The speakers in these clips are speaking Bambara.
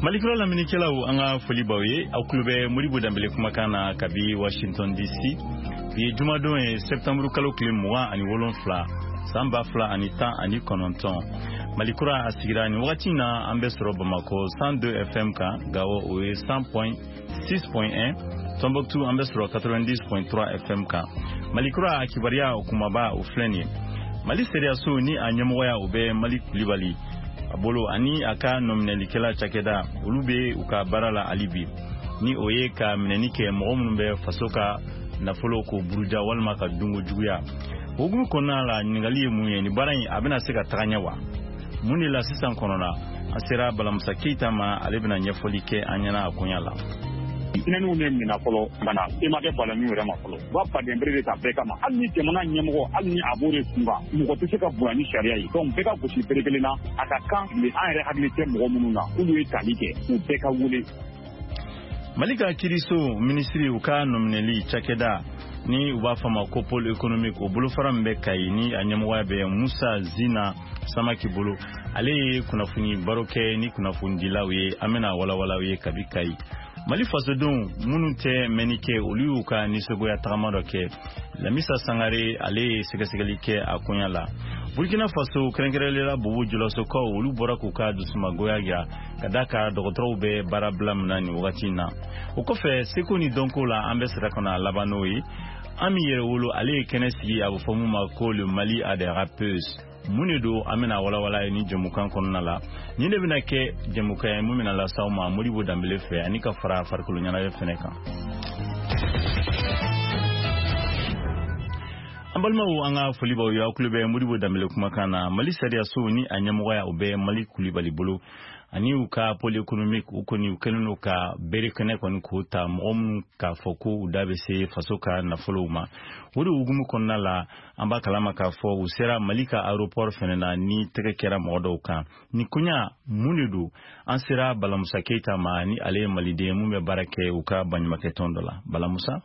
Malikura lamɛnnikɛlaw, an ka foli b'aw ye. Aw tulo bɛ Modibo Danbele kumakan na kabi Washington DC. Bi ye jumadon ye, septembre kalo tile 27, san 2019. Malikura a sigira nin wagati na, an bɛ sɔrɔ Bamakɔ 102 FM kan, Gawo o ye 100.6.1, Tombouctou an bɛ sɔrɔ 90.3 FM kan. Malikura a kibaruya o kumaba o filɛ nin ye: Mali sariyaso ni a ɲɛmɔgɔya o bɛ Mali Kulibali a bolo ani a ka nɔminɛlikɛla cakɛda, olu bɛ u ka baara la hali bi, ni o ye ka minɛni kɛ mɔgɔ minnu bɛ faso ka nafolo ko buruja walima ka dunko juguya. O hukumu kɔnɔna la, ɲininkali ye mun ye? Nin baara in a bɛna se ka taga ɲɛ wa? Mun de la sisan kɔnɔna an sera Balamusa Keyita ma, ale bɛna ɲɛfɔli kɛ an ɲɛna a koɲa la. Tinɛniw de minɛ fɔlɔ ka na e ma kɛ balaniw yɛrɛ ma fɔlɔ. U b'a baden bere de ta bɛɛ kama, hali ni jamana ɲɛmɔgɔ, hali ni a b'o de kun kan, mɔgɔ tɛ se ka bonya ni sariya ye. Donc bɛɛ ka gosi bere kelen na. A ka kan mais an yɛrɛ hakili tɛ mɔgɔ minnu na k'olu ye tali kɛ, u bɛɛ ka wele. Mali ka kiiriso minisiri u ka nɔminɛli cakɛda ni u b'a fɔ ma ko pôle économique, o bolofara min bɛ Kayi ni a ɲɛmɔgɔya bɛ Musa Zina Samaki bolo, ale ye kunnafoni baro kɛ ni kunnafonidilaw ye. An bɛna walawalaw ye kabi Kayi. Mali fasodenw minnu tɛ mɛnni kɛ, olu y'u ka nisɔngoya tagama dɔ kɛ. Lamisa Sangare, ale ye sɛgɛsɛgɛli kɛ a koɲa la. Burkina Faso, kɛrɛnkɛrɛnlen la Bobo Julasokaw, olu bɔra k'u ka dusumagoya jira ka da ka dɔgɔtɔrɔw bɛ baara bila min na nin wagati in na. O kɔfɛ, seko ni dɔnko la, an bɛ sira ka na laban n'o ye. An min yɛrɛ wolo, ale ye kɛnɛ sigi, a bɛ fɔ mun ma ko le Mali a des rappeuses. Mun de don? An bɛna walawala ye ni jɛmukan kɔnɔna la. Nin de bɛna kɛ jɛmukan ye mun bɛna las'aw ma Modibo Danbele fɛ, ani ka fara farikolo ɲɛnajɛ fɛnɛ kan. An balimaw, an ka foli b'aw ye. Aw tulo bɛ Modibo Danbele kumakan na. Mali sariyaso ni a ɲɛmɔgɔya o bɛ Mali Kulibali bolo ani u ka pôle économique, u kɔni u kɛlen don ka bere kɛnɛ kɔni k'o ta mɔgɔ minnu k'a fɔ ko u da bɛ se faso ka nafolow ma. O de hukumu kɔnɔna la, an b'a kalama k'a fɔ u sera Mali ka aéroport fɛnɛ na ni tɛgɛ kɛra mɔgɔ dɔw kan. Nin koɲa mun de don? An sera Balamusa Keyita ma, ni ale ye maliden mun bɛ baara kɛ u ka baɲumakɛtɔn dɔ la. Balamusa.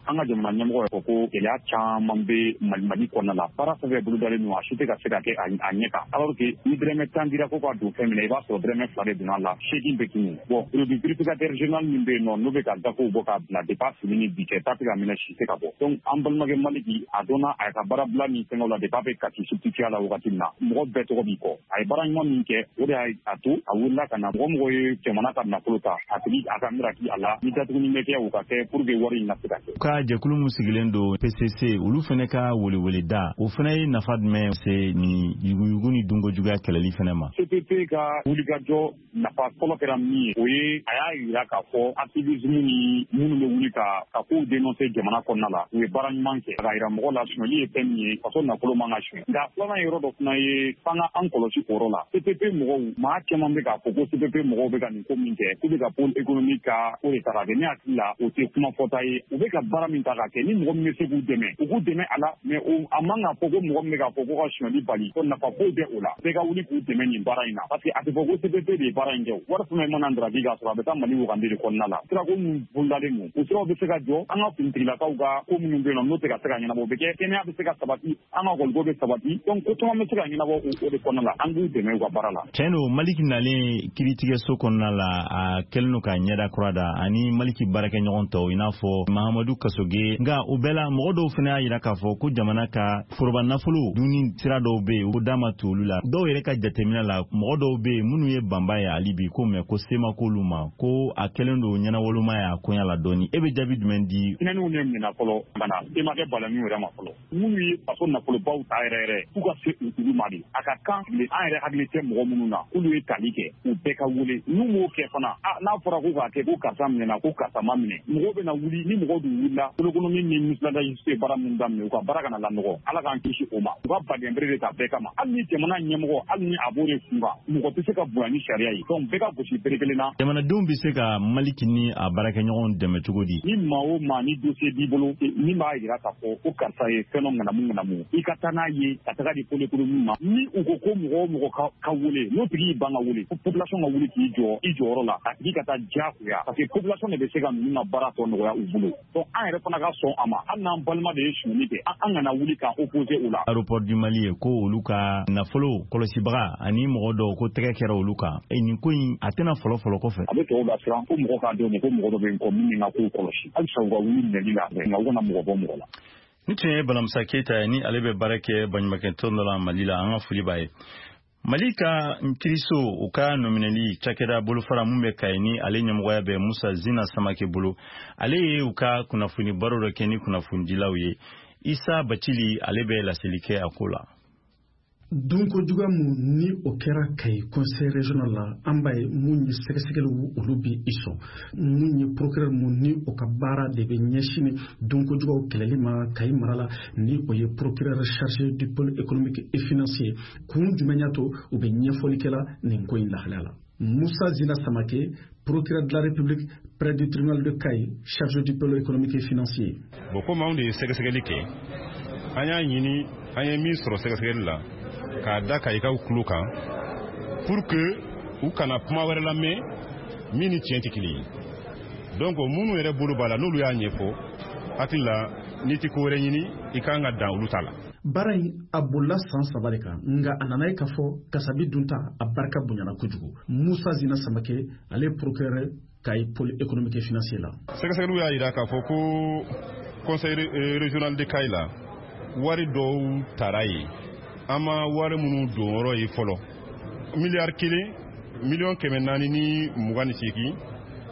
An ka jamana ɲɛmɔgɔ ko gɛlɛya caman bɛ Mali kɔnɔna la. Baara fɛn fɛn bolodalen don, a si tɛ ka se ka kɛ a ɲɛ kan, alors que ni dɔrɔmɛ 10 dira ko ka don fɛn min na, i b'a sɔrɔ dɔrɔmɛ 2 de donna a la, 8 bɛ tunu. Bon, produit vérificateur général min bɛ yen nɔ, n'o bɛ ka gafew bɔ k'a bila, depuis a fini ni bi cɛ, ta tɛ ka minɛ, si tɛ ka bɔ. Donc an balimakɛ Maliki, a dɔnna a ka baara bila ni fɛngɛw la, depuis a bɛ kasi substitut la wagati min na, mɔgɔ bɛɛ tɔgɔ b'i kɔ. A ye baara ɲuman min kɛ, o de y'a to a wulila ka na. Mɔgɔ mɔgɔ ye jamana ka nafolo ta, a tigi a ka miraki a la, ni datuguni bɛ kɛ, o ka kɛ pour que wari in ka se ka kɛ. Ka jɛkulu min sigilen don PCC, olu fɛnɛ ka weleweleda, o fɛnɛ ye nafa jumɛn se ni yuguyugu ni dunkojuguya kɛlɛli fɛnɛ ma? CPP ka wulikajɔ nafa fɔlɔ kɛra min ye, o ye a y'a yira k'a fɔ activisme ni minnu bɛ wuli ka kow dénoncer jamana kɔnɔna la, u ye baara ɲuman kɛ k'a yira mɔgɔ la sonyali ye fɛn min ye, faso nafolo man ka suɲɛ. Nka filanan yɔrɔ dɔ fana ye f'an ka an kɔlɔsi o yɔrɔ la. CPP mɔgɔw, maa caman bɛ k'a fɔ ko CPP mɔgɔw bɛ ka nin ko min kɛ, k'u bɛ ka pôle économique ka ko de ta k'a kɛ. Ne hakili la, o tɛ kuma fɔta ye. U bɛ ka baara min ta k'a kɛ, ni mɔgɔ min bɛ se k'u dɛmɛ, u k'u dɛmɛ a la. Mais a man ka fɔ ko mɔgɔ min bɛ k'a fɔ ko ka sonyali bali, ko nafa foyi tɛ o la. Bɛɛ ka wuli k'u dɛmɛ nin baara in na, parce que a tɛ fɔ ko CPP de ye baara in kɛ. Wari fɛn mana daraki k'a sɔrɔ a bɛ taa Mali wagande de kɔnɔna la. Sirako min bolodalen don, o siraw bɛ se ka jɔ. An ka finitigilakaw ka ko minnu bɛ yen nɔ, n'o tɛ ka se ka ɲɛnabɔ, o bɛ kɛ. Kɛnɛya bɛ se ka sabati, an ka ekɔliko bɛ sabati. Donc ko caman bɛ se ka ɲɛnabɔ o de kɔnɔna la. An k'u dɛmɛ u ka baara la. Tiɲɛ don, Maliki nalen kiiritigɛso kɔnɔna la, a kɛlen don ka ɲɛda kura da ani Maliki baarakɛɲɔgɔn tɔw, i n'a fɔ Mahamadu Kasoge. Nka o bɛɛ la, mɔgɔ dɔw fana y'a yira k'a fɔ ko jamana ka foroba nafolo dunni sira dɔw bɛ yen, o da ma to olu la. Dɔw yɛrɛ ka jateminɛ la, mɔgɔ dɔw bɛ yen minnu ye banba ye hali bi ko mɛ ko se ma k'olu ma, ko a kɛlen don ɲɛnawoloma ye a koɲa la dɔɔni. E bɛ jaabi jumɛn di? Tinɛniw de minɛ fɔlɔ ka na e ma kɛ balaniw yɛrɛ ma fɔlɔ. Minnu ye faso nafolobaw ta yɛrɛ yɛrɛ, k'u ka se olu ma de. A ka kan an yɛrɛ hakili tɛ mɔgɔ minnu na k'olu ye tali kɛ, u bɛɛ ka wele. N'u m'o kɛ fana, n'a fɔra ko k'a kɛ ko karisa minɛna, ko karisa ma minɛ, mɔgɔw bɛna wuli. Ni mɔgɔw dun wulila, économie ni ministre de la justice ye baara min daminɛ, u ka baara kana lanɔgɔ. Ala k'an kisi o ma. U ka baden bere de ta bɛɛ kama, hali ni jamana ɲɛmɔgɔ, hali ni a b'o de kun kan, mɔgɔ tɛ se ka bonya ni sariya ye. Donc bɛɛ ka gosi bere kelen na. Jamanadenw bɛ se ka Maliki ni a baarakɛɲɔgɔnw dɛmɛ cogo di? Ni maa o maa ni dossier b'i bolo min b'a yira k'a fɔ ko karisa ye fɛn dɔ ŋanamu ŋanamu, i ka taa n'a ye ka taga di pôle économique ma. Ni u ko ko mɔgɔ o mɔgɔ ka wele, n'o tigi y'i ban ka wele, population ka wuli k'i jɔ i jɔyɔrɔ la, a tigi ka taa diyagoya, parce que population de bɛ se ka ninnu ka baara tɔ nɔgɔya u bolo. Donc an An yɛrɛ fana ka sɔn a ma, hali n'an balima de ye sonyali kɛ, an kana wuli k'an opposer o la. Aéroport du Mali ye ko olu ka nafolo kɔlɔsibaga ani mɔgɔ dɔw ko tɛgɛ kɛra olu kan. Nin ko in a tɛna fɔlɔ-fɔlɔ kɔfɛ. A bɛ tɔw lasiran ko mɔgɔ k'a dɔn ko mɔgɔ dɔ bɛ yen kɔ min ka kow kɔlɔsi, halisa u ka wuli minɛli la, nka u kana mɔgɔ bɔ mɔgɔ la. Ni tun ye Balamusa Keyita ye, ni ale bɛ baara kɛ baɲumankɛtɔn dɔ la Mali la. An ka foli b'a ye. Mali ka kiiriso, u ka nɔminɛli cakɛda bolofara mun bɛ Kayi, ni ale ɲɛmɔgɔya bɛ Musa Zina Samake bolo, ale ye u ka kunnafoni baro dɔ kɛ ni kunnafonidilaw ye. Isa Bacili, ale bɛ laseli kɛ a ko la. Dunko juguya mun ni o kɛra Kayi conseil régional la, an b'a ye mun ye sɛgɛsɛgɛliw olu bɛ i sɔn. Mun ye procureur mun ni o ka baara de bɛ ɲɛsin dunko juguyaw kɛlɛli ma Kayi mara la, ni o ye procureur chargé du pôle économique et financier, kun jumɛn y'a to u bɛ ɲɛfɔli kɛla nin ko in lahalaya la? Moussa Zina Samake, procureur de la République près du tribunal de Kayi, chargé du pôle économique et financier. Bon, komi anw de ye sɛgɛsɛgɛli kɛ, an y'a ɲini, an ye min sɔrɔ sɛgɛsɛgɛli la k'a da Kayikaw tulo kan pour que u kana kuma wɛrɛ lamɛn min ni tiɲɛ tɛ kelen ye. Donc minnu yɛrɛ bolo b'a la, n'olu y'a ɲɛfɔ, hakili la n'i tɛ ko wɛrɛ ɲini, i kan ka dan olu ta la. Baara in a bolila san 3 de kan, nka a nana ye k'a fɔ kasabi dunta a barika bonyana kojugu. Musa Zina Samake, ale procureur Kayi pôle économique et financier la. Sɛgɛsɛgɛliw y'a jira k'a fɔ ko conseil régional de Kayi la, wari dɔw tara yen, an ma wari minnu don yɔrɔ ye fɔlɔ, miliyari 1 428 000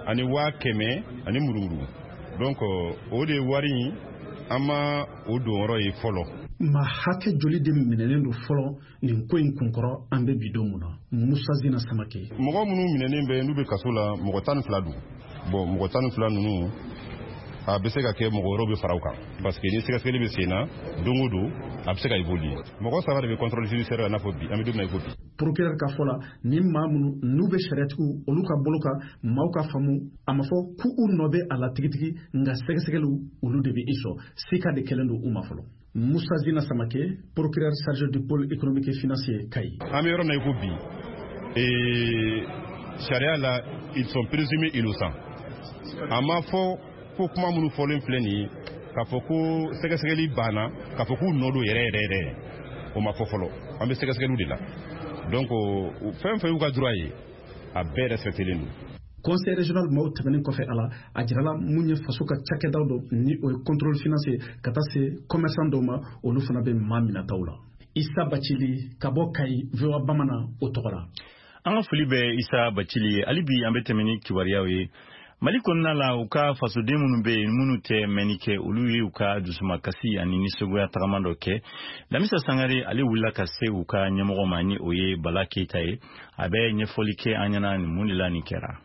ani 100 000 ani murumuru. Donc o de wari in, an ma o don yɔrɔ ye fɔlɔ. Ma hakɛ joli de minɛnen don fɔlɔ nin ko in kunkɔrɔ an bɛ bi don mun na? Musa Zina Samake. Mɔgɔ minnu minɛnen bɛ, n'u bɛ kaso la, mɔgɔ 12 don. Bon, mɔgɔ 12 ninnu, a bɛ se ka kɛ mɔgɔ wɛrɛw bɛ fara u kan, parce que ni sɛgɛsɛgɛli bɛ sen na don o don, a bɛ se ka évoluer. Mɔgɔ 3 de bɛ contrôle judiciaire la, n'a fɔ bi an bɛ don min na i ko bi. Procureur ka fɔ la, ni maa minnu n'u bɛ sariyatigiw olu ka bolo kan, maaw ka faamu, a ma fɔ k'u nɔ bɛ a la tigitigi, nka sɛgɛsɛgɛliw olu de bɛ i sɔn sika de kɛlen don u ma fɔlɔ. Moussa Zina Samake, procureur chargé du pôle économique et financier Kayi. An bɛ yɔrɔ min na i ko bi, sariya la, ils sont présumés innocents. A ma fɔ ko kuma minnu fɔlen filɛ nin ye, k'a fɔ ko sɛgɛsɛgɛli banna, k'a fɔ k'u nɔ don yɛrɛ yɛrɛ yɛrɛ, o ma fɔ fɔlɔ. An bɛ sɛgɛsɛgɛliw de la. Donc fɛn fɛn y'u ka droit ye, a bɛɛ respectelen don. Conseil régional maaw tɛmɛnen kɔfɛ a la, a jirala mun ye faso ka cakɛdaw dɔ, ni o ye contrôle financier, ka taa se commerçant dɔw ma, olu fana bɛ maa minɛtaw la. Isa Bacili ka bɔ Kayi, VOA Bamanan o tɔgɔ la. An ka foli bɛ Isa Bacili ye. Hali bi an bɛ tɛmɛ ni kibaruyaw ye Mali kɔnɔna la. U ka fasoden minnu bɛ yen, minnu tɛ mɛnni kɛ, olu ye u ka dusumakasi ani nisɔngoya tagama dɔ kɛ. Lamisa Sangare, ale wulila ka se u ka ɲɛmɔgɔ ma, ni o ye Bala Keyita ye. A bɛ ɲɛfɔli kɛ an ɲɛna nin mun de la nin kɛra.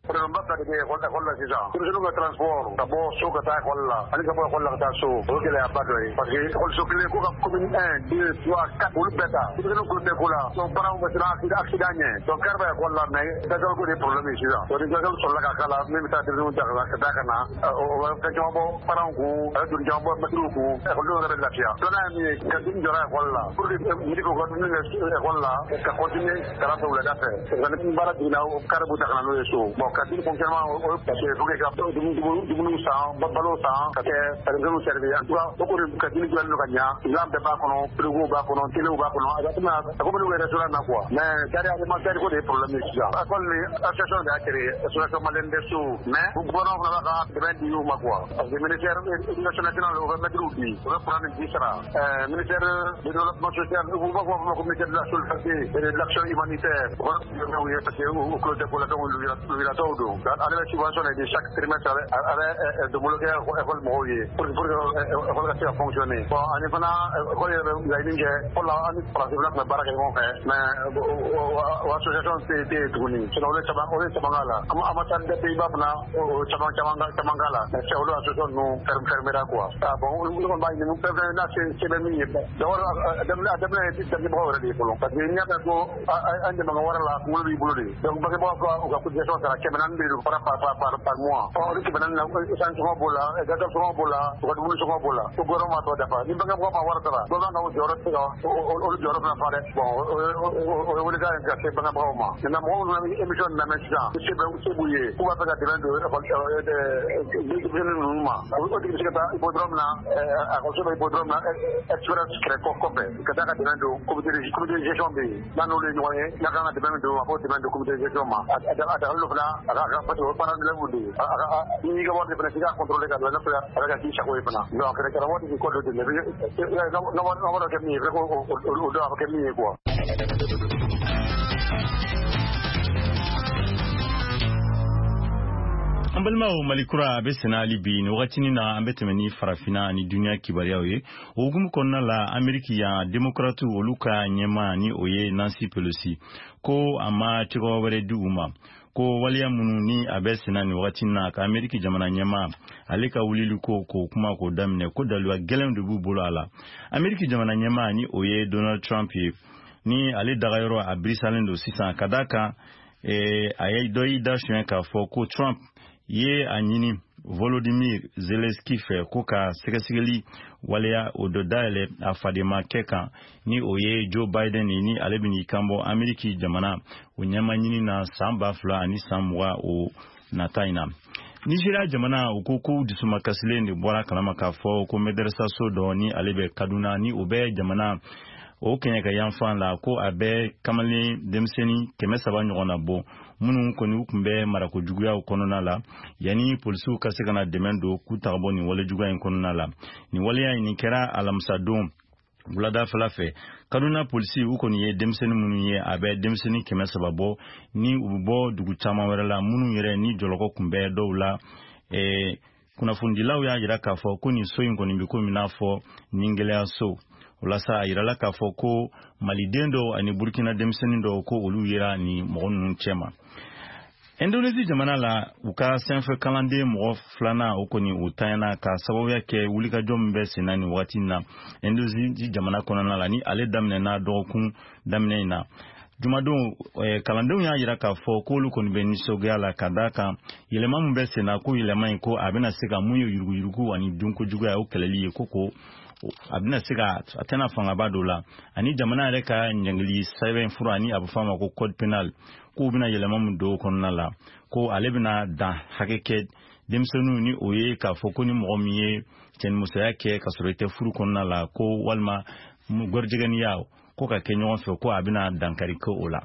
Problème ba fila de bɛ école la sisan. Denmisɛnninw ka transport ka bɔ so ka taa école la ani ka bɔ école la ka taa so, o ye gɛlɛyaba dɔ ye, parce que école so kelen ko ka commune 1, 2, 3, 4 olu bɛɛ ta. Denmisɛnninw kulo tɛ ko la, donc parents bɛ siran accident ɲɛ. Donc car bɛ école la, mais gasoil ko de ye problème ye sisan. Donc ni gasoil sɔrɔla ka k'a la min bɛ taa denmisɛnninw ta ka taa ka na, o bɛ fɛn caman bɔ parents kun, a bɛ doni caman bɔ mɛtiriw kun, école yɛrɛ bɛ lafiya. Filanan ye min ye, cantine jɔra école la pour que midi k'u ka dumuni kɛ école la ka continuer kalan fɛ wulada fɛ. Parce que ni baara jiginna, car b'u ta ka na n'o ye so. Bon, cantine fonctionnement, o ye parce que faut que ka dumuni san, balo san, ka kɛ ka denmisɛnninw servir. En tout cas, o kɔni cantine dilannen don ka ɲa, dilan bɛɛ b'a kɔnɔ, frigo b'a kɔnɔ, télé b'a kɔnɔ, a komi a komi n'u bɛ restaurant na quoi. Mais gari alimentaire ko de ye problème ye sisan. École ni association de y'a créé, association malienne des sourds, mais gouvernement fana b'a ka dɛmɛ di u ma quoi, parce que ministère éducation nationale, o bɛ mɛtiriw di, o bɛ courant ni ji sara. Ministère du développement social, u b'a fɔ ma ko ministère de la solidarité et de l'action humanitaire, o fana ye parce que u tulo tɛ ko la. Donc lujuratɔw don, ale bɛ subvention de di chaque trimestre, a bɛ donbolo kɛ école mɔgɔw ye pour que école ka se ka fonctionner. Bon, ani fana école yɛrɛ bɛ laɲini kɛ. Fɔlɔ la, an ni faransi fana tun bɛ baara kɛ ɲɔgɔn fɛ, mais o association tɛ yen tuguni. Sinon olu ye caman k'a la. Ambassade des Pays-Bas fana, o caman caman caman k'a la, mais olu association ninnu fermera quoi. Ah bon, olu kɔni b'a ɲini fɛn fɛn n'a se bɛ min ye. D'abord, a daminɛ ye denbagaw yɛrɛ de ye fɔlɔ, parce que n'i y'a mɛn ko an dɛmɛ ka wari la, kunkolo b'i bolo de. Donc bangebagaw ka u ka cotisation sara 400. 400 de don par mois. Ɔ olu 400 na, essence sɔngɔ b'o la, gasoil sɔngɔ b'o la, u ka dumuni sɔngɔ b'o la. Ko gouvernement m'a tɔ dafa. Ni bangebagaw ma wari sara, dɔ b'an ka o jɔyɔrɔ tɛ se ka olu jɔyɔrɔ fana fa dɛ. Bon, o ye welekan ye ka se bangebagaw ma. Maintenant, mɔgɔw minnu bɛ émission lamɛn sisan, se bɛ se b'u ye, k'u b'a fɛ ka dɛmɛ don denmisɛnnin ninnu ma, o tigi bɛ se ka taa hippodrome na, ekɔliso bɛ hippodrome na, express kɛrɛ kɔfɛ, ka taa ka dɛmɛ don comité de gestion bɛ yen. N'a n'olu ye ɲɔgɔn ye, n'a kan ka dɛmɛ min don, a b'o dɛmɛ don comité de gestion ma. A dagalen don fana, a ka, parce que o ye parents d'élèves de ye. N'i y'i ka wari de fana, f'i k'a contrôler ka bila n'a sɔrɔ a bɛ ka k'i sago ye fana. Donc karamɔgɔ tɛ k'i kɔ don ten, n'a wari kɛ min ye, fɛ k'o dɔn a bɛ kɛ min ye quoi. An balimaw, Mali kura a bɛ senna hali bi. Nin wagatinin na, an bɛ tɛmɛ ni farafinna ani duniya kibaruyaw ye. O hukumu kɔnɔna la, Ameriki yan, Demokratiw olu ka ɲɛmaa, ni o ye Nancy Pelosi, ko a ma cogoya wɛrɛ di u ma, ko waleya minnu ni a bɛ senna nin wagati na, ka Ameriki jamana ɲɛmaa ale ka wulili ko k'o kuma k'o daminɛ, ko daluya gɛlɛnw de b'u bolo a la. Ameriki jamana ɲɛmaa, ni o ye Donald Trump ye, ni ale dagayɔrɔ a birisalen don sisan, ka d'a kan a ye dɔ y'i da suɲɛ k'a fɔ ko Trump ye a ɲini Volodymyr Zelensky fɛ ko ka sɛgɛsɛgɛli waleya o dɔ dayɛlɛ a fadenmakɛ kan, ni o ye Joe Biden ye, ni ale bɛn'i kanbɔ Ameriki jamana o ɲɛma ɲini na san 2020 o nata in na. Nigeria jamana, u ko k'u dusumakasilen de bɔra kalama k'a fɔ ko mɛdɛrɛsaso dɔ, ni ale bɛ Kaduna, ni o bɛ jamana o kɛɲɛka yanfan la, ko a bɛ kamalen denmisɛnnin 300 ɲɔgɔn na bɔ, minnu kɔni u tun bɛ marako juguyaw kɔnɔna la, yanni polisiw ka se ka na dɛmɛ don k'u taga bɔ nin wale juguya in kɔnɔna la. Nin waleya in, nin kɛra alamisadon wuladafɛla fɛ. Kaduna polisi u kɔni ye denmisɛnnin minnu ye, a bɛ denmisɛnnin 300 bɔ, ni u bɛ bɔ dugu caman wɛrɛ la, minnu yɛrɛ ni jɔlɔkɔ tun bɛ dɔw la. Kunnafonidilaw y'a jira k'a fɔ ko nin so in kɔni bɛ komi n'a fɔ ningɛlɛyaso. O la sa, a yirala k'a fɔ ko maliden dɔw ani Burukina denmisɛnnin dɔw, ko olu yera nin mɔgɔ ninnu cɛma. Indonésie jamana la, u ka sanfɛ kalanden mɔgɔ filanan o kɔni o tanyana, ka sababuya kɛ wulikajɔ min bɛ senna nin waati in na Indonésie jamana kɔnɔna la, ni ale daminɛna dɔgɔkun daminɛ in na jumadon. Kalandenw y'a jira k'a fɔ k'olu kɔni bɛ nisɔngoya la, ka d'a kan yɛlɛma min bɛ senna, ko yɛlɛma in, ko a bɛna se ka mun ye yuruguyurugu ani dunkojuguya o kɛlɛli ye, ko a bɛna se ka a tɛna fangaba dɔ la, ani jamana yɛrɛ ka ɲangili sɛbɛn fura, ani a bɛ fɔ a ma ko code pénal, k'u bɛna yɛlɛma min don o kɔnɔna la, ko ale bɛna dan hakɛ kɛ denmisɛnninw, ni o ye k'a fɔ ko ni mɔgɔ min ye cɛnimusoya kɛ ka sɔrɔ i tɛ furu kɔnɔna la, ko walima gɔrijɛgɛniya ko ka kɛ ɲɔgɔn fɛ, ko a bɛna dankari kɛ o la.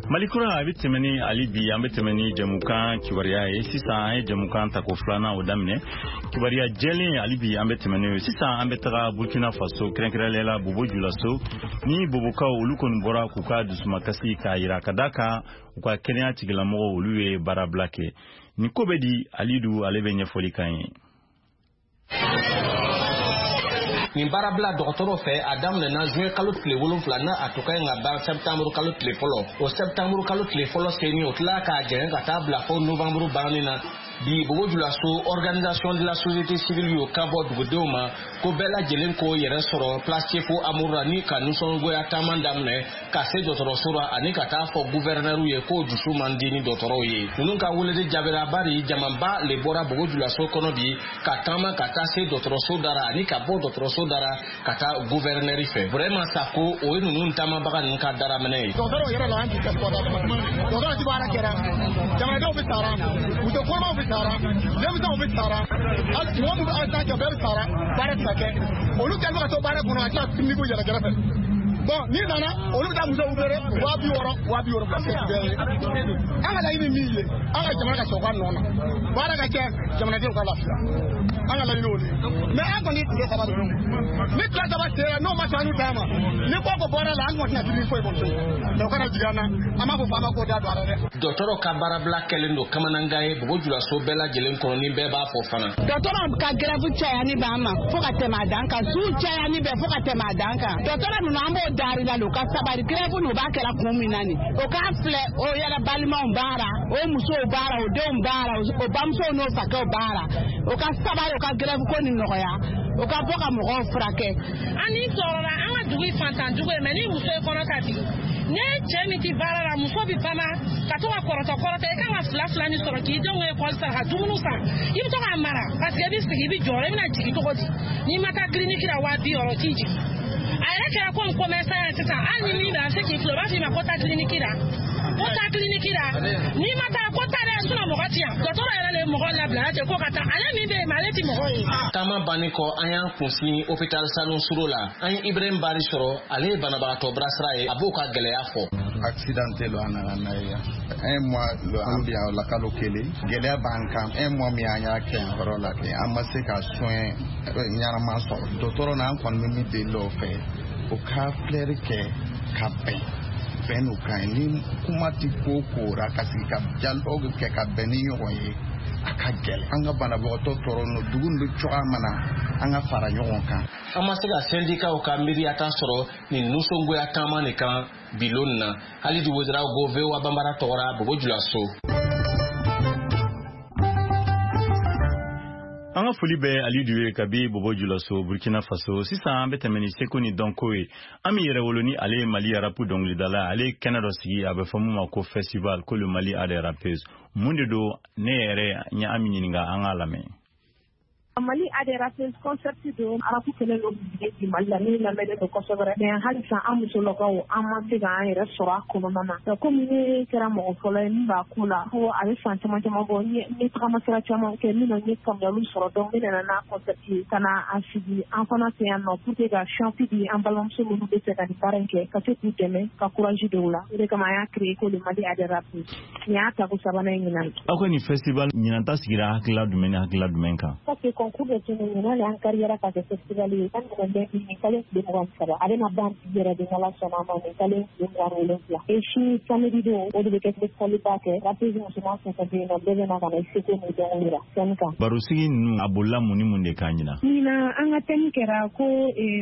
Mali kura a bɛ tɛmɛ ni hali bi, an bɛ tɛmɛ ni jɛmukan kibaruya ye. Sisan an ye jɛmukan tako filanan o daminɛ, kibaruya jɛlen hali bi an bɛ tɛmɛ n'o ye. Sisan an bɛ taga Burkina Faso, kɛrɛnkɛrɛnnenya la Bobo Julaso, ni Bobokaw olu kɔni bɔra k'u ka dusumakasi k'a yira, ka d'a kan u ka kɛnɛya tigilamɔgɔw olu ye baarabila kɛ. Nin ko bɛ di, Alidu ale bɛ ɲɛfɔli k'an ye. Nin baarabila dɔgɔtɔrɔ fɛ, a daminɛna juin kalo tile 7 n'a a tun ka ɲi ka ban septembre kalo tile fɔlɔ. O septembre kalo tile fɔlɔ seni, o tila k'a jɛngɛ ka taa bila fo novembre banni na. Bi Bobo Julaso, organisation de la société civile y'o kan bɔ dugudenw ma ko bɛɛ lajɛlen k'o yɛrɛ sɔrɔ place Sefo Amour ni ka nisɔngoya taama daminɛ ka se dɔgɔtɔrɔso la ani ka taa fɔ gouverneur ye k'o dusu man di ni dɔgɔtɔrɔw ye. Ninnu ka weleli jaabira, bari jamaba le bɔra Bobo Julaso kɔnɔ bi ka taama ka taa se dɔgɔtɔrɔso dara ani ka bɔ dɔgɔtɔrɔso dara ka taa gouverneur fɛ. Vraiment Sako, o ye ninnu taamabaga ninnu ka daraminɛ ye. Dɔgɔtɔrɔw yɛrɛ la, an t'i kɛ dɔgɔtɔrɔ ti baara kɛra, jamanadenw bɛ sara, muso kɔnɔmaw bɛ sara, denmisɛnw bɛ sara, hali mɔgɔ min bɛ accident kɛ, bɛɛ bɛ sara, baara tɛ ka kɛ. Olu kɛlen bɛ ka to baara kɔnɔ, a tila ka yɛlɛ kɛrɛfɛ. Bon, n'i nana, olu bɛ taa musow feere 60 000, 70 000, se bɛɛ ye. An ka laɲini min ye, an ka jamana ka sɔrɔ ka nɔ na, baara ka kɛ, jamanadenw ka lafiya, an ka laɲini o de ye. Mais an kɔni tile 3 de don. Ni tile 3 sera, n'o ma sɔn an ta ma, ni ko ko bɔra la, an kɔni tɛna dumuni foyi kɔni to yen. O kana jigin an na, an b'a fɔ faama k'o da don a la dɛ. Dɔgɔtɔrɔ ka baarabila kɛlen don kamanangan ye Bobo Julaso bɛɛ lajɛlen kɔnɔ, ni bɛɛ b'a fɔ fana. Dɔgɔtɔrɔ ka grève cayani b'an ma fo ka tɛmɛ a dan kan, su cayani bɛ fo ka tɛmɛ a dan kan. Dɔgɔtɔrɔ ninnu, an b'o dari la, u ka sabali. Grève nin, u b'a kɛra kun min na nin, o k'a filɛ, o yɛrɛ balimaw baara, o musow baara, o denw baara, o bamusow n'o fakɛw baara. O ka sabali, o ka grève ko nin nɔgɔya, o ka bɔ ka mɔgɔw furakɛ. An ni tɔɔrɔla, an ka dugu ye fantan dugu ye, mais ni muso ye kɔnɔ ta bi, ne cɛ min ti baara la, muso bi bana ka to ka kɔrɔtɔ kɔrɔtɔ. I kan ka fila fila min sɔrɔ k'i denw ka ekɔli sara, ka dumuni san, i bɛ to k'a mara, parce que i bɛ sigi, i bɛ jɔrɔ, i bɛna jigin cogo di? N'i ma taa kiliniki la, 60 000 t'i jigin. A yɛrɛ kɛra komi commerçant ye sisan, hali ni min bɛ, a bɛ se k'i filɛ, o b'a f'i ma ko taa kiliniki la, ko taa kiliniki la, n'i ma taa, ko taa dɛ, sinon mɔgɔ ti yan. Dɔgɔtɔrɔ yɛrɛ de ye mɔgɔ labila ten ko ka taa, ale min bɛ yen, ale ti mɔgɔ ye. Taama bannen kɔ, an y'an kunsin hôpital Sanu Suro la. An ye Ibrahim Bari sɔrɔ, ale ye banabagatɔ bilasira ye, a b'o ka gɛlɛya fɔ. Accidenté lo, an nana n'a ye yan. Un mois lo an bi yan la, kalo 1. Gɛlɛya b'an kan. Un mois min an y'a kɛ yan yɔrɔ la kɛ, an ma se ka soin ɲɛnama sɔrɔ. Dɔgɔtɔrɔ n'an kɔni bɛ min deli o fɛ, o ka filɛri kɛ ka bɛn bɛn n'o kan ye. Ni kuma ti ko ko ra, ka sigi ka dialogue kɛ ka bɛn ni ɲɔgɔn ye, a ka gɛlɛn. An ka banabagatɔ tɔɔrɔ no dugu nin bɛ cogoya min na, an ka fara ɲɔgɔn kan. An ma se ka sɛndikaw ka miiriyata sɔrɔ nin nisɔngoya taama nin kan bilon na. Halidu Wezerago, VOA Banbara tɔgɔra, Bobo Julaso. An ka foli bɛ Alidu ye kabi Bobo Julaso, Burkina Faso. Sisan an bɛ tɛmɛ ni seko ni dɔnko ye. An bɛ yɛrɛ wolo ni ale ye Mali rap dɔnkilidala. Ale ye kɛnɛ dɔ sigi, a bɛ fɔ mun ma ko festival, ko le Mali a des rappeuses. Mun de don? Ne yɛrɛ n ye an ɲininka, an k'a lamɛn. Mali a des rappeuses concept don. Rap kɛlen don bi Mali la min lamɛnnen don kosɛbɛ, mais halisa an musolakaw, an ma se k'an yɛrɛ sɔrɔ a kɔnɔna na. Komi ne kɛra mɔgɔ fɔlɔ ye min b'a ko la, ko a bɛ san caman caman bɔ, n ye tagamasira caman kɛ min na, n ye faamuyaliw sɔrɔ. Donc ne nana n'a concept ye ka na a sigi an fana fɛ yan nɔ pour que ka chance di an balimamuso minnu bɛ fɛ ka nin baara in kɛ, ka se k'u dɛmɛ, ka courage don u la. O de kama an y'a créé ko le Mali a des rappeuses. Nin y'a tako sabanan ye ɲinan. Aw ka nin festival ɲinan ta sigira hakilila jumɛn ni hakilila jumɛn kan? Parce que concours de tun ɲinan de, an kariyara ka kɛ festival ye. An nana bɛ nin kalo tile 23, a bɛna ban bi yɛrɛ de, n'Ala sɔnna a ma, nin kalo tile 27. Et sini samedi don, o de bɛ kɛ festival ba kɛ. Rappeuse musoman fɛn fɛn bɛ yen nɔ, bɛɛ bɛ na ka na i seko n'u dɔnko yira scène kan. Barosigi ninnu, a bolila mun ni mun de kan ɲinan? Ɲinan, an ka thème kɛra ko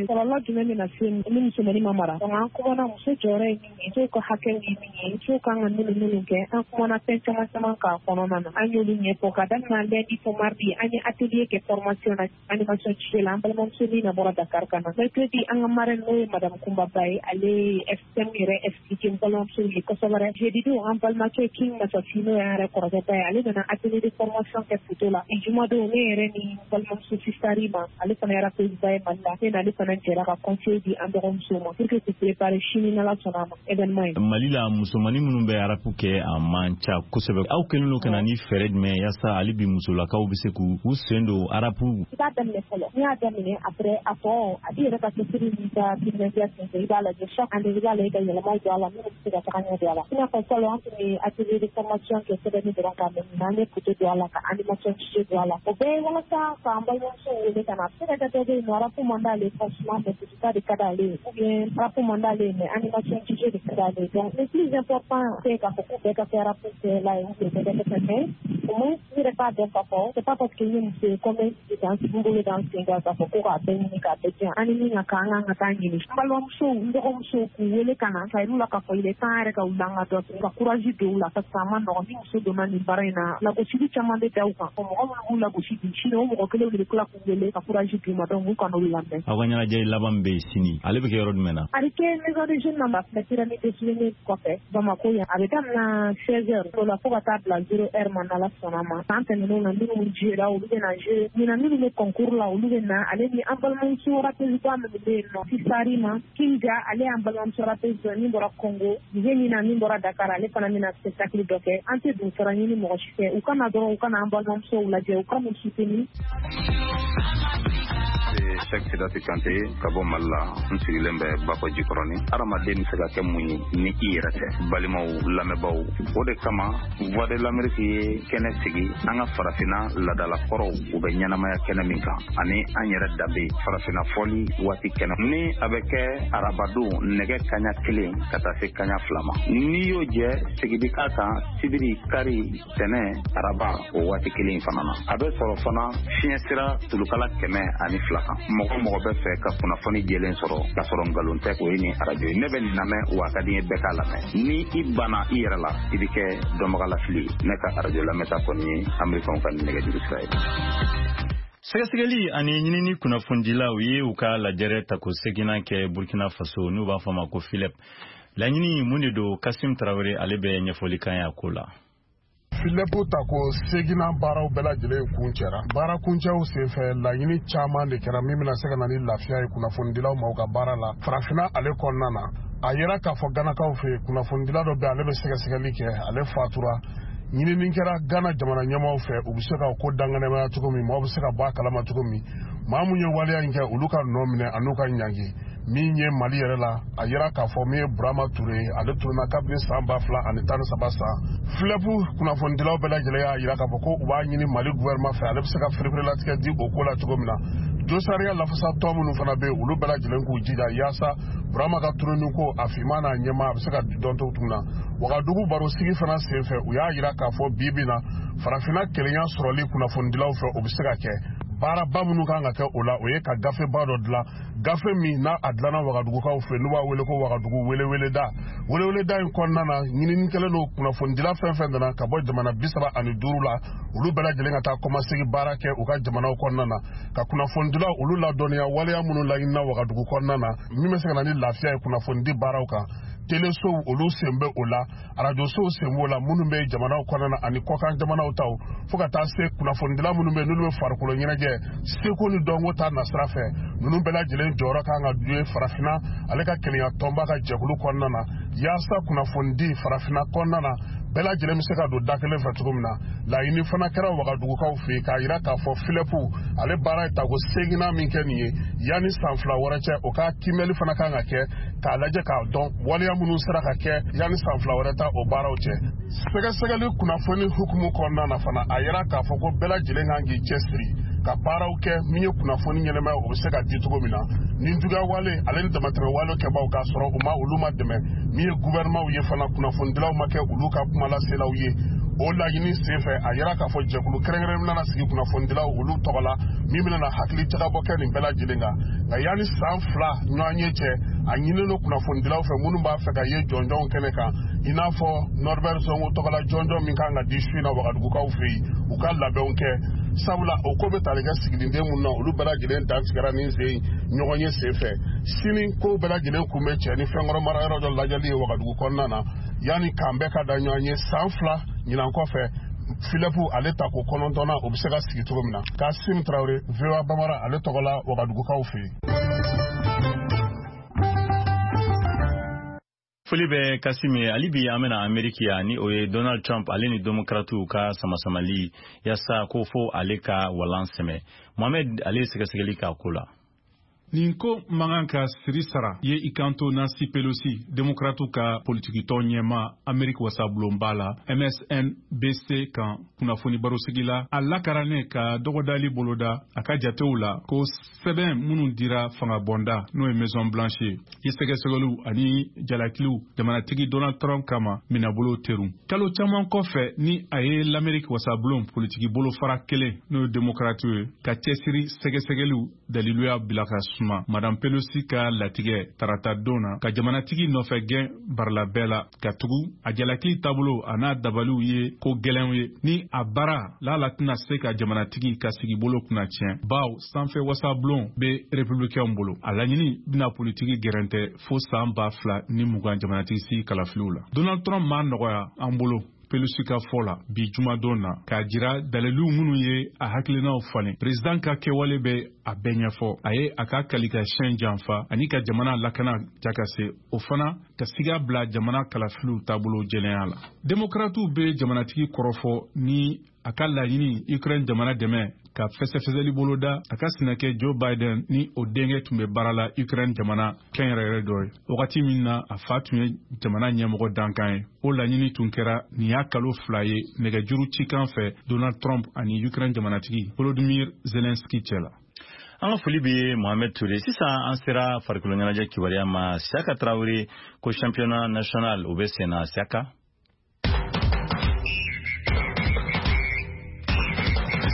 kɔlɔlɔ jumɛn bɛna se ni musomanin ma mara. Donc an kumana muso jɔyɔrɔ ye min ye, musow ka hakɛw ye min ye, musow kan ka minnu minnu kɛ. An kumana fɛn caman caman k'a kɔnɔna na, an y'olu ɲɛfɔ. Ka daminɛ lundi fo mardi, an ye atelier kɛ formation na, animation DJ la, an balimamuso min na bɔra Dakar ka na. Mercredi, an ka marraine, n'o ye madame Kumba Ba ye, ale ye thème yɛrɛ expliqué n balimamuso ye kosɛbɛ. Jeudi don, an balimakɛ King Masafi, n'o y'an yɛrɛ kɔrɔkɛ ba ye, ale nana atelier de formation kɛ photo la. Juma don, ne yɛrɛ ni balimamuso Sistari ma, ale fana ye rappeuse ba ye Mali la, ne n'ale fana jɛra ka conseil di an dɔgɔmusow ma pour que k'u préparer sini, n'Ala sɔnna a ma, événement ye. Mali la, musomanin minnu bɛ rap kɛ, a man ca kosɛbɛ. Aw kɛlen don ka na ni fɛɛrɛ jumɛn yaasa hali bi musolakaw bɛ se k'u sen don rap? I b'a daminɛ fɔlɔ. N'i y'a daminɛ, après a tɔ, a b'i yɛrɛ ka cɛsiri n'i ka timinandiya senfɛ, i b'a lajɛ chaque année, i b'a lajɛ ka yɛlɛmaw don a la minnu bɛ se ka taga ɲɛ don a la. I n'a fɔ fɔlɔ, an tun bɛ atelier de formation kɛ sɛbɛnni dɔrɔn kan, mais ɲinan an ye photo don a la, ka animation DJ don a la. O bɛɛ ye walasa k'an balimamusow wele ka na. A bɛ se ka kɛ dɔ bɛ yen nɔ, rap man d'ale ye franchement, mais photo de ka d'ale ye, ou bien rap man d'ale ye, mais animation DJ de ka d'ale ye. Donc le plus important, c'est k'a fɔ ko bɛɛ ka kɛ rap kɛla ye ou bien bɛɛ ka kɛ fɛn, mais Au moins i yɛrɛ k'a dɔn k'a fɔ c'est pas parce que n ye muso ye ko n bɛ sigi k'an n bolo da n sen kan k'a fɔ ko k'a bɛɛ ɲini k'a bɛɛ diyan. An ni min ka kan, an kan ka taa ɲini. N balimamusow, n dɔgɔmusow, k'u wele ka na ka yir'u la k'a fɔ il est temps yɛrɛ ka wuli an ka dɔ kɛ, ka courage don u la, parce que a ma nɔgɔn. Ni muso donna nin baara in na, lagosili caman bɛ da u kan. Mɔgɔ minnu b'u lagosi bi, sini o mɔgɔ kelenw de bɛ tila k'u wele ka courage d'u ma. Donc u kan'olu lamɛn. Aw ka ɲɛnajɛ laban min bɛ yen sini, ale bɛ kɛ yɔrɔ jumɛn na? A bɛ kɛ maison des jeunes na, filɛ pyramide des souvenirs kɔfɛ, Bamako yan. A bɛ daminɛ 16 heures o la fo ka taa bila 0 heure ma, n'Ala sɔnna ma. San tɛmɛnenw na, minnu jouera, olu bɛ na jouer. Ɲinan, minnu bɛ concours la, olu bɛ na. Ale ni an balimamuso rappeuse ba minnu bɛ yen nɔ, Fisari ma Kinja, ale y'an balimamuso rappeuse dɔ min bɔra Congo, Zenina min bɔra Dakar, ale fana bɛna spectacle dɔ kɛ. An tɛ donsara ɲini mɔgɔ si fɛ. U ka na dɔrɔn, u ka na an balimamusow lajɛ, u ka n'u soutenir. Cheikh Sidati Kante ka bɔ Mali la, n sigilen bɛ Bakɔ Jikɔrɔni. Hadamaden bɛ se ka kɛ mun ye ni i yɛrɛ tɛ? Balimaw, lamɛnbaaw, o de kama Voix de l'Amérique ye kɛnɛ sigi an ka farafinna laadalakɔrɔw u bɛ ɲɛnamaya kɛnɛ min kan, ani an yɛrɛ danbe farafinna fɔli waati kɛnɛ ni a bɛ kɛ arabadon nɛgɛ kaɲa 1 ka taa se kaɲa 2 ma. N'i y'o jɛ, segin bi k'a kan sibiri, kari, tɛnɛ, araba o waati kelen fana na. A bɛ sɔrɔ fana fiɲɛ sira tulukala 102 kan. Mɔgɔ mɔgɔ bɛ fɛ ka kunnafoni jɛlen sɔrɔ k'a sɔrɔ nkalon tɛ, o ye nin arajo ye. Ne bɛ nin lamɛn, wa a ka di n ye bɛɛ k'a lamɛn. Ni i banna i yɛrɛ la, i bɛ kɛ dɔnbagalafili ye. Ne ka arajo lamɛnta kɔni ye Amerikɛnw ka nɛgɛjuru sira ye. Sɛgɛsɛgɛli ani ɲinini kunnafonidilaw ye u ka lajɛrɛ tako seginnan kɛ Burkina Faso, n'u b'a fɔ a ma ko FILEP. Laɲini mun de don? Kasim Tarawele, ale bɛ ɲɛfɔli kan ye a ko la. FILEP tako seginnan baaraw bɛɛ lajɛlen kun cɛra. Baara kuncɛw senfɛ, laɲini caman de kɛra min bɛna se ka na ni lafiya ye kunnafonidilaw ma u ka baara la farafinna ale kɔnɔna na. A yera k'a fɔ Ganakaw fɛ yen, kunnafonidila dɔ bɛ, ale bɛ sɛgɛsɛgɛli kɛ, ale fatura. Ɲinini kɛra Gana jamana ɲɛmaaw fɛ, u bɛ se ka ko danganɛmaya cogo min, maaw bɛ se ka bɔ a kalama cogo min, maa mun ye waleya in kɛ, olu ka nɔ minɛ an'u ka ɲangi. Min ye Mali yɛrɛ la, a yira k'a fɔ min ye Burama Ture ye, ale tununa kabini san 2013 san. FILEP kunnafonidilaw bɛɛ lajɛlen y'a yira k'a fɔ ko u b'a ɲini Mali gouvernement fɛ, ale bɛ se ka fereferelatigɛ di o ko la cogo min na. Josariya lafasatɔn minnu fana bɛ yen, olu bɛɛ lajɛlen k'u jija yaasa Burama ka tununi ko a finman n'a ɲɛma a bɛ se ka dɔn cogo min na. Wagadugu barosigi fana senfɛ, u y'a yira k'a fɔ bi bi na farafinna kelenya sɔrɔli kunnafonidilaw fɛ, o bɛ se ka kɛ. Baaraba minnu kan ka kɛ o la, o ye ka gafeba dɔ dilan, gafe min n'a a dilanna Wagadugukaw fɛ, n'u b'a wele ko Wagadugu weleweleda. Weleweleda in kɔnɔna na, ɲinini kɛlen don kunnafonidila fɛn fɛn nana ka bɔ jamana 35 la, olu bɛɛ lajɛlen ka taa kɔmasegi baara kɛ u ka jamanaw kɔnɔna na, ka kunnafonidilaw olu ladɔnniya waleya minnu laɲinina Wagadugu kɔnɔna na, min bɛ se ka na ni lafiya ye kunnafonidi baaraw kan. Telesow olu sen bɛ o la, arajosow sen b'o la, minnu bɛ jamanaw kɔnɔna na ani kɔkan jamanaw taw, fo ka taa se kunnafonidila minnu bɛ n'olu bɛ farikolo ɲɛnajɛ seko ni dɔnko ta nasira fɛ. Ninnu bɛɛ lajɛlen jɔyɔrɔ kan ka ye farafinna ale ka kelenya tɔnba ka jɛkulu kɔnɔna na, yaasa kunnafonidi farafinna kɔnɔna na bɛɛ lajɛlen bɛ se ka don da kelen fɛ cogo min na. Laɲini fana kɛra Wagadugukaw fɛ yen k'a yira k'a fɔ FILEP ale baara ye tako seginnan min kɛ nin ye, yanni san 2 wɛrɛ cɛ, o ka kiimɛli fana kan ka kɛ k'a lajɛ k'a dɔn waleya minnu sera ka kɛ yanni san 2 wɛrɛ ta o baaraw cɛ. Sɛgɛsɛgɛli kunnafoni hukumu kɔnɔna na fana, a yira k'a fɔ ko bɛɛ lajɛlen kan k'i cɛsiri ka baaraw kɛ min ye kunnafoni ɲɛnɛmaya o bɛ se ka di cogo min na. Ni juguya wale ale ni damatɛmɛ wale kɛbaw k'a sɔrɔ u ma olu ma dɛmɛ, min ye gouvernementw ye fana, kunnafonidilaw ma kɛ olu ka kumalaselaw ye. O laɲini senfɛ, a yira k'a fɔ jɛkulu kɛrɛnkɛrɛn bɛna sigi kunnafonidilaw olu tɔgɔ la, min bɛna na hakili jagabɔ kɛ nin bɛɛ lajɛlen kan. Nka yanni san 2 ɲɔgɔn ye cɛ, a ɲininen don kunnafonidilaw fɛ minnu b'a fɛ ka ye jɔnjɔnw kɛnɛ kan, i n'a fɔ Norbert Zongo tɔgɔla jɔnjɔn min kan ka di su in na Wagadugukaw fɛ yen, u ka labɛnw kɛ. Sabula o ko bɛ tali kɛ siginiden minnu na, olu bɛɛ lajɛlen dantigɛra nin sen ɲɔgɔn ye senfɛ. Sini ko bɛɛ lajɛlen kun bɛ cɛ ni fɛnkɔrɔ marayɔrɔ dɔ lajɛli ye Wagadugu kɔnɔna na, yanni k'an bɛɛ ka da ɲɔgɔn ye san 2 ɲinan kɔfɛ, FILEP ale tako 9nan o bɛ se ka sigi cogo min na. Kasim Tarawele, VOA Bamara ale tɔgɔ la Wagadugukaw fɛ yen. Foli bɛ Kasim ye. Hali bi an bɛna Ameriki yan, ni o ye Donald Trump ale ni Demokratiw ka samasamali yaasa ko fo ale ka walan sɛmɛ. Mohamed, ale ye sɛgɛsɛgɛli k'a ko la. Nin ko man kan ka siri sara ye i kanto Nancy Pelosi, Demokratiw ka politikitɔn ɲɛmaa Ameriki wasabulonba la, MSNBC kan kunnafoni barosigi la, a lakarannen ka dɔgɔdali boloda a ka jatew la ko sɛbɛn minnu dira fangabɔnda, n'o ye Maison Blanche ye, ye sɛgɛsɛgɛliw ani jalakiliw jamanatigi Donald Trump kama minɛbolo terun kalo caman kɔfɛ ni a ye l'Amerique wasabulon politiki bolofara kelen, n'o ye Demokratiw ye, ka cɛsiri sɛgɛsɛgɛliw daliluya bila ka suma. Madame Pelosi ka latigɛ tarata don na ka jamanatigi nɔfɛ gɛn barila bɛɛ la ka tugu a jalakili taabolo a n'a dabaliw ye ko gɛlɛnw ye ni a baara lala tɛna se ka jamanatigi ka sigibolo kunna tiɲɛ, baw sanfɛ wasabulon bɛ républicainw bolo. A laɲini bɛna politiki gɛrɛntɛ fo san 2020 jamanatigi sigi kalafiliw la. Donald Trump m'a nɔgɔya an bolo, Pelosi ka fɔ la bi jumadon na, k'a jira daliliw minnu ye a hakilinaw falen. Président ka kɛwale bɛ a bɛɛ ɲɛfɔ. A ye a ka kalikasiyɛn janfa ani ka jamana lakana jakase, o fana ka siga bila jamana kalafiliw taabolo jɛlenya la. Demokratiw bɛ jamanatigi kɔrɔfɔ ni a ka laɲini Ukraine jamana dɛmɛ ka fɛsɛfɛsɛli boloda a ka sinakɛ Joe Biden ni o denkɛ tun bɛ baara la Ukraine jamana kɛnyɛrɛyɛrɛ dɔ ye wagati min na a fa tun ye jamana ɲɛmɔgɔ dankan ye. O laɲini tun kɛra nin y'a kalo 2 ye nɛgɛjuru cikan fɛ Donald Trump ani Ukraine jamanatigi Volodymyr Zelensky cɛ la. An ka foli bɛ Mohamed Touré. Sisan an sera farikolo ɲɛnajɛ kibaruya ma. Siaka Traoré ko championnat national o bɛ sen na. Siaka.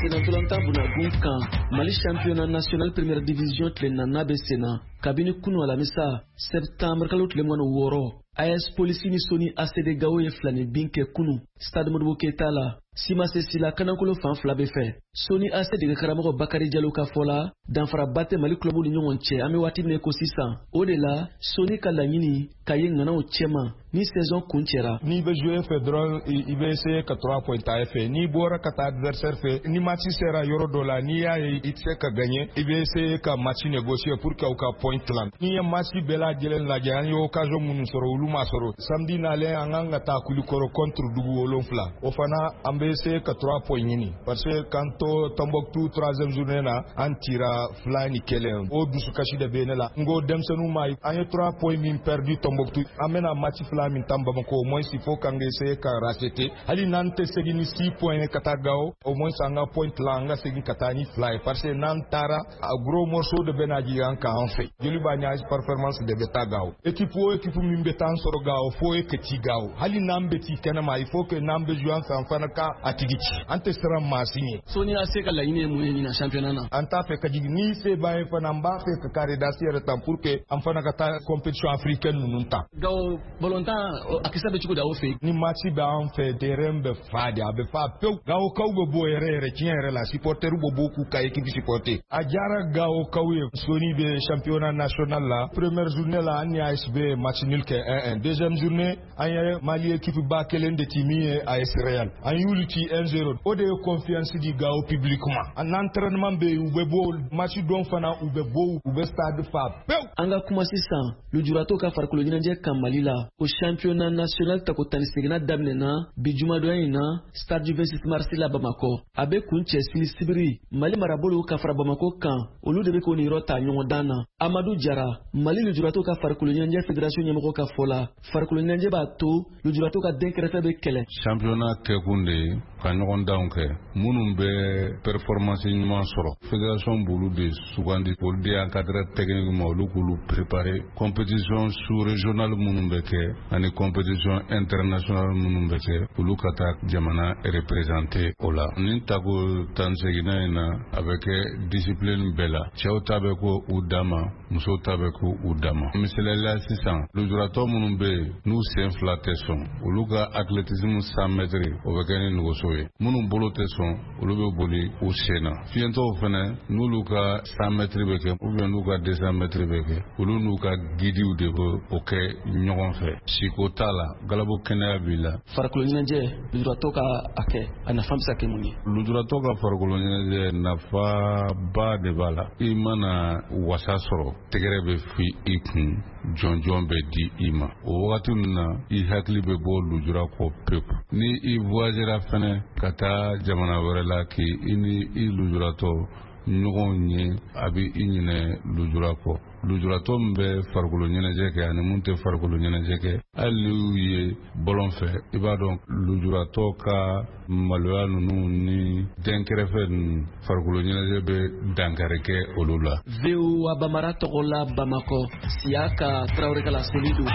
Senatolanta bunagun kan, Mali championnat national première division tile nana bɛ senna kabini kunu alamisa, septembre kalo tile 26. AS Polisi ni Soni ACD Gao ye filani bin kɛ kunu stade Modibo Keyita la. Simase Sila kanankolo fan fila bɛ fɛ. Soni AC dege karamɔgɔ Bakari Jalo ka fɔ la, danfaraba tɛ Mali club ni ɲɔgɔn cɛ an bɛ waati min ko sisan. O de la Soni ka laɲini ka ye ŋanaw cɛma ni saison kun cɛra. N'i bɛ jouer fɛ dɔrɔn, i bɛ essayer ka 3 points ta e fɛ. N'i bɔra ka taa adversaire fɛ, ni match sera yɔrɔ dɔ la, n'i y'a ye i tɛ se ka gagner, i bɛ essayer ka match négocier pour que aw ka point tilan. N'i ye match bɛɛ lajɛlen lajɛ, an ye occasion minnu sɔrɔ, olu ma sɔrɔ. Samedi nalen, an kan ka taa Kulikɔrɔ contre dugu 7. O fana, an bɛ essayer ka 3 points ɲini, parce que k'an to Tombouctou troisième journée na, an tira 2-1. O dusukasi de bɛ ne la. N ko denmisɛnninw ma, an ye 3 points min perdu Tombouctou, an bɛna match fila min tan Bamako, au moins il faut k'an essayer ka racheter. Hali n'an tɛ segin ni 6 points ka taa Gao, au moins an ka point la, an ka segin ka taa ni 2 ye, parce que n'an taara, a gros morceau de bɛna jigin an kan an fɛ. Joliba ni AS Performance de bɛ taa Gao. Équipe o équipe min bɛ taa an sɔrɔ Gao, fo e ka ci Gao. Hali n'an bɛ ci kɛnɛma, il faut que n'an bɛ jouer an fɛ, an fana ka a tigi ci. An tɛ siran maa si ɲɛ. Soni AC ka laɲini ye mun ye ɲinan championnat na? An t'a fɛ ka jigin. Ni se b'an ye fana, an b'a fɛ ka carré d'as yɛrɛ ta pour que an fana ka taa compétition africaine ninnu ta. Gao balontan a kisɛ bɛ cogo di aw fɛ? Ni match bɛ an fɛ, terrain bɛ fa de, a bɛ fa pewu. Gaokaw bɛ bɔ yɛrɛ yɛrɛ, tiɲɛ yɛrɛ la, supporters bɛ bɔ k'u ka équipe supporter. A diyara Gaokaw ye. Soni bɛ championnat national la. Première journée la, an ni ASB ye match nul kɛ 1-1. Deuxième journée, an ye Mali équipe ba kelen de ci min ye AS Real. An y'olu ci 1-0. O de ye confiance di Gao public ma. En entraînement bɛ yen, u bɛ bɔ match don fana, u bɛ bɔ, u bɛ stade fa pewu. An ka kuma sisan lujuratɔw ka farikolo ɲɛnajɛ kan Mali la. O championnat national tako 18nan daminɛna bi jumadonya in na stade du 26 mars la Bamakɔ. A bɛ kun cɛ sini sibiri. Mali marabolo ka fara Bamakɔ kan, olu de bɛ k'o niyɔrɔ ta ɲɔgɔndan na. Amadu Jara, Mali lujuratɔw ka farikolo ɲɛnajɛ fédération ɲɛmɔgɔ ka fɔ la, farikolo ɲɛnajɛ b'a to lujuratɔw ka dɛnkɛrɛfɛ bɛ kɛlɛ. Championnat kɛkun de ye ka ɲɔgɔndanw kɛ minnu bɛ performance ɲuman sɔrɔ. Fédération b'olu de sugandi, olu de encadreur technique ma, olu k'olu préparer compétition sous-régionale minnu bɛ kɛ ani compétition internationale minnu bɛ kɛ, olu ka taa jamana représenter o la. Nin tako 18nan in na, a bɛ kɛ discipline bɛɛ la. Cɛw ta bɛ ko u dan ma, musow ta bɛ ko u dan ma. Misaliyala sisan, lujuratɔ minnu bɛ yen n'u sen fila tɛ sɔn, olu ka athlétisme 100 mètres o bɛ kɛ ni nɛgɛso ye. Minnu bolo tɛ sɔn, olu bɛ boli u sen na. Fiyentɔw fɛnɛ, n'olu ka 100 mètres bɛ kɛ ou bien n'u ka 200 mètres bɛ kɛ, olu n'u ka guidiw de bɛ o kɛ ɲɔgɔn fɛ. Siko t'a la, galabu kɛnɛya b'i la. Farikolo ɲɛnajɛ, lujuratɔ ka a kɛ, a nafa bɛ se ka kɛ mun ye? Lujuratɔ ka farikolo ɲɛnajɛ nafaba de b'a la. I mana wasa sɔrɔ, tɛgɛrɛ bɛ fi i kun, jɔnjɔn bɛ di i ma. O wagati ninnu na, i hakili bɛ bɔ lujura kɔ pewu. Ni i voyagera fɛnɛ ka taa jamana wɛrɛ la, k'i ni i lujuratɔ ɲɔgɔn ye, a bɛ i ɲinɛ lujura kɔ. Lujuratɔ min bɛ farikolo ɲɛnajɛ kɛ ani mun tɛ farikolo ɲɛnajɛ kɛ, hali n'i y'u ye bɔlɔn fɛ, i b'a dɔn lujuratɔ ka maloya ninnu ni dɛnkɛrɛfɛ ninnu, farikolo ɲɛnajɛ bɛ dankari kɛ olu la. VOA Bambara tɔgɔ la Bamakɔ, Siyaka Tarawele ka laseli don.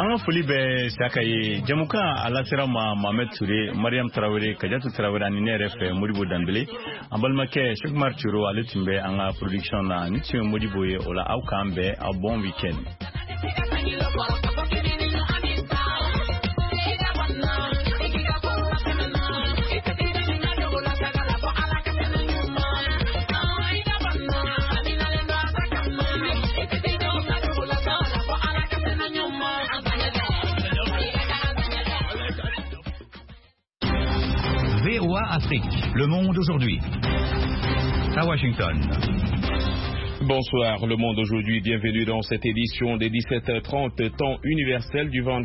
An ka foli bɛ Siyaka ye. Jamukan a lasera ma Mohamed Touré, Mariam Traoré, Kadiatou Traoré ani ne yɛrɛ fɛ Modibo Danbele. An balimakɛ Cheikh Umar Ciro, ale tun bɛ an ka production na. Ni tun ye Modibo ye o la, aw k'an bɛn, aw bon week-end. VOA Afrique, le monde aujourd'hui. À Washington. Bonsoir, le monde aujourd'hui. Bienvenue dans cette édition des 17h30, temps universel du vendredi.